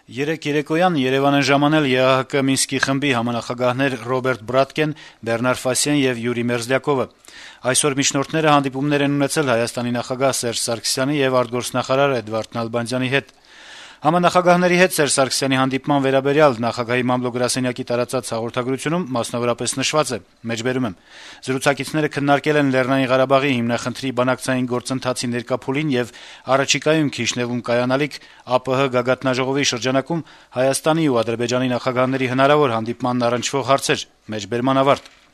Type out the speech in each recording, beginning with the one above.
Երեկ երեկոյան Երեւան են ժամանել ԵԱՀԿ Մինսկի խմբի համանախագահներ Ռոբերտ Բրատկեն, Բեռնար Ֆասիեն եւ Յուրի Մերզլյակովը։ Այսօր միջնորդները հանդիպումներ են ունեցել Հայաստանի նախագահ Սերժ Սարգսյանի եւ արտգործնախարար Էդվարդ Նալբանդյանի հետ։ Համանախագահների հետ Սերժ Սարգսյանի հանդիպման վերաբերյալ նախագահի մամլո-գրասենյակի տարածած հաղորդագրությունում մասնավորապես նշված է. «Զրուցակիցները քննարկել են Լեռնային Ղարաբաղի հիմնախնդրի բանակցային գործընթացի ներկա փուլին եւ առաջիկայում Քիշնեվում կայանալիք ԱՊՀ գագաթնաժողովի շրջանակում Հայաստանի ու Ադրբեջանի նախագահների հնարավոր հանդիպմանն առնչվող հարցեր»։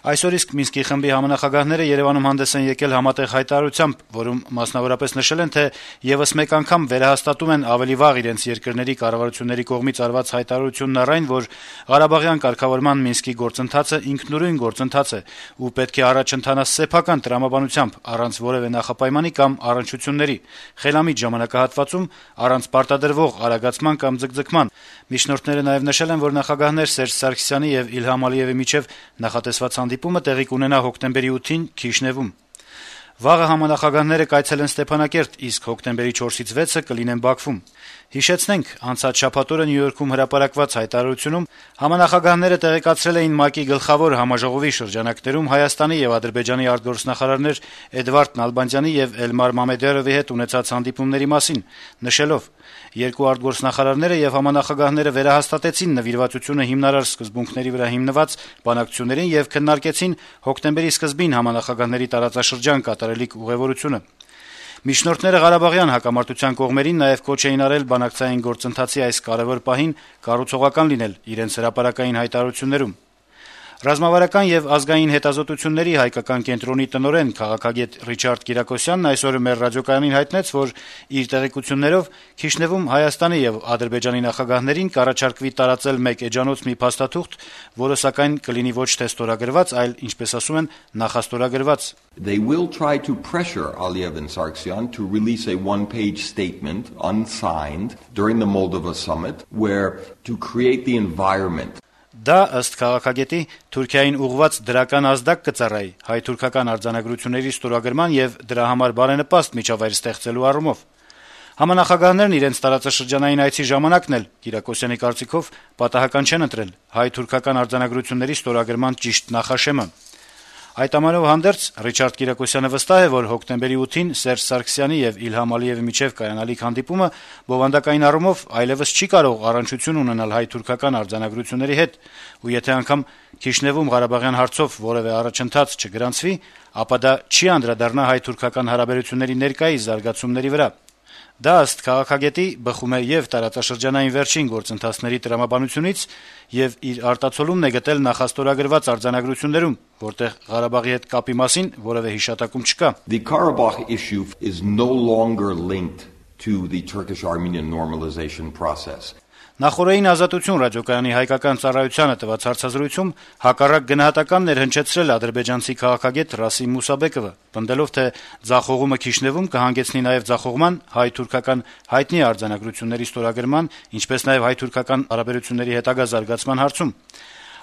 Այսօր իսկ Մինսկի խմբի համանախագահները Երեւանում հանդես են եկել համատեղ հայտարարությամբ, որում մասնավորապես նշել են, թե եւս մեկ անգամ վերահաստատում են ավելի վաղ իրենց երկրների կառավարությունների կողմից արված հայտարարությունն առ այն, որ Ղարաբաղյան կարգավորման Մինսկի գործընթացը ինքնուրույն գործընթաց է ու պետք է առաջ ընթանա սեփական տրամաբանությամբ, առանց որեւէ նախապայմանի կամ առնչությունների, խելամիտ ժամանակահատվածում, առանց պարտադրվող արագացման կամ ձգձգման։ Միջնորդները նաեւ նշել են, որ նախագահներ Սերժ Սարգսյանի եւ Իլհամ Ալիեւի միջեւ նախատեսված հանդիպումը տեղի կունենա հոկտեմբերի 8-ին Քիշնեվում։ Վաղը համանախագահները կայցելեն Ստեփանակերտ, իսկ հոկտեմբերի 4-ից 6-ը կլինեն Բաքվում։ Հիշեցնենք, անցած շաբաթ օրը Նյու Յորքում հրապարակված հայտարարությունում համանախագահները տեղեկացրել էին ՄԱԿ-ի գլխավոր համաժողովի շրջանակներում Հայաստանի եւ Ադրբեջանի արտգործնախարարներ Էդվարդ Նալբանդյանի եւ Էլմար Մամեդյարովի հետ ունեցած հանդիպումների մասին, նշելով. «Երկու արտգործնախարարները եւ համանախագահները վերահաստատեցին նվիրվածությունը հիմնարար սկզբունքների վրա հիմնված բանակցություններին եւ քննարկեցին հոկտեմբերի սկզբին համանախագահների տարածաշրջան կատարելիք ուղևորությունը»։ Միջնորդները Ղարաբաղյան հակամարտության կողմերին նաեւ կոչ էին արել բանակցային գործընթացի այս կարեւոր պահին կառուցողական լինել իրենց հրապարակային հայտարարություններում։ Ռազմավարական եւ ազգային հետազոտությունների հայկական կենտրոնի տնօրեն քաղաքագետ Ռիչարդ Կիրակոսյանն այսօր մեր ռադիոկայանին հայտնեց, որ իր տեղեկություններով Քիշնեվում Հայաստանի եւ Ադրբեջանի նախագահներին կառաջարկվի տարածել մեկ էջանոց մի փաստաթուղթ, որը սակայն կլինի ոչ թե ստորագրված, այլ, ինչպես ասում են, նախաստորագրված։ They will try to pressure Aliyev and Sargsyan to release a one-page statement unsigned during the Moldova summit where to create the environment. Դա ըստ քաղաքագետի Թուրքիային ուղղված դրական ազդակ կծառայի հայ-թուրքական արձանագրությունների ստորագրման եւ դրա համար բարենպաստ միջավայր ստեղծելու առումով։ Համանախագահներն իրենց տարածաշրջանային այցի ժամանակն էլ Կիրակոսյանի կարծիքով պատահական չեն ընտրել հայ-թուրքական արձանագրությունների ստորագրման ճիշտ նախաշեմը։ Այդ ամանով հանդերձ Ռիչարդ Կիրակոսյանը վստահ է, որ հոկտեմբերի 8-ին Սերժ Սարգսյանի եւ Իլհամ Ալիեւի միջեւ կայանալիք հանդիպումը բովանդակային առումով այլեւս չի կարող առնչություն ունենալ հայ-թուրքական արձանագրությունների հետ, ու եթե անգամ Քիշնեվում Ղարաբաղյան հարցով որեւէ առաջընթաց չգրանցվի, ապա դա չի անդրադառնա հայ-թուրքական հարաբերությունների ներկայիս զարգացումների վրա։ Դա ըստ քաղաքագետի բխում է եւ տարածաշրջանային վերջին գործընթացների տրամաբանությունից եւ իր արտացոլումն է գտել նախաստորագրված արձանագրություններում, որտեղ Ղարաբաղի հետ կապի մասին որեւէ հիշատակում չկա։ The Karabakh issue is no longer linked to the Turkish-Armenian normalization process. Նախորդային ազատություն ռադիոկայանի հայկական ծառայությանը տված հարցազրույցում հակառակ գնահատականն էր հնչեցրել ադրբեջանցի քաղաքագետ Ռասիմ Մուսաբեկովը, պնդելով, թե ձախողումը Քիշնեվում կհանգեցնի նաեւ ձախողման հայ-թուրքական հայտնի արձանագրությունների ստորագրման, ինչպես նաեւ հայ-թուրքական հարաբերությունների հետագա զարգացման հարցում։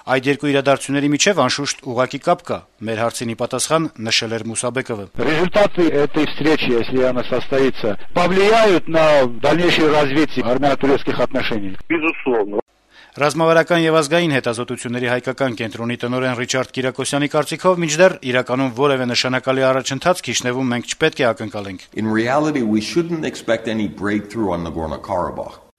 Այդ երկու իրադարձությունների միջև անշուշտ ուղղակի կապ կա, մեր հարցին ի պատասխան նշել էր Մուսաբեկովը։ Результаты этой встречи, если она состоится, повлияют на дальнейшее развитие армяно-турецких отношений. Безусловно. Ռազմավարական եւ ազգային հետազոտությունների հայկական կենտրոնի տնօրեն Ռիչարդ Կիրակոսյանի կարծիքով մինչդեռ իրականում որեւէ նշանակալի առաջընթաց Քիշնեվում մենք չպետք է ակնկալենք։ In reality, we shouldn't expect any breakthrough on Nagorno-Karabakh.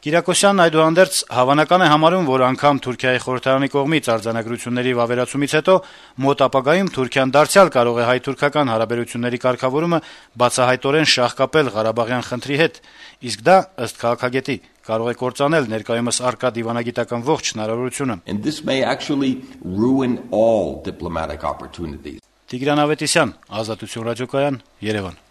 Կիրակոսյանն այդուհանդերձ հավանական է համարում, որ անգամ Թուրքիայի խորհրդարանի կողմից արձանագրությունների վավերացումից հետո մոտ ապագայում Թուրքիան դարձյալ կարող է հայ-թուրքական հարաբերությունների կարգավորումը բացահայտորեն շահկապել Ղարաբաղյան խնդրի հետ, իսկ դա, ըստ քաղաքագետի, կարող է կործանել ներկայումս առկա դիվանագիտական ողջ հնարավորությունը։ And this may actually ruin all diplomatic opportunities. Տիգրան Ավետիսյան, Ազատություն ռադիոկայան, Երևան։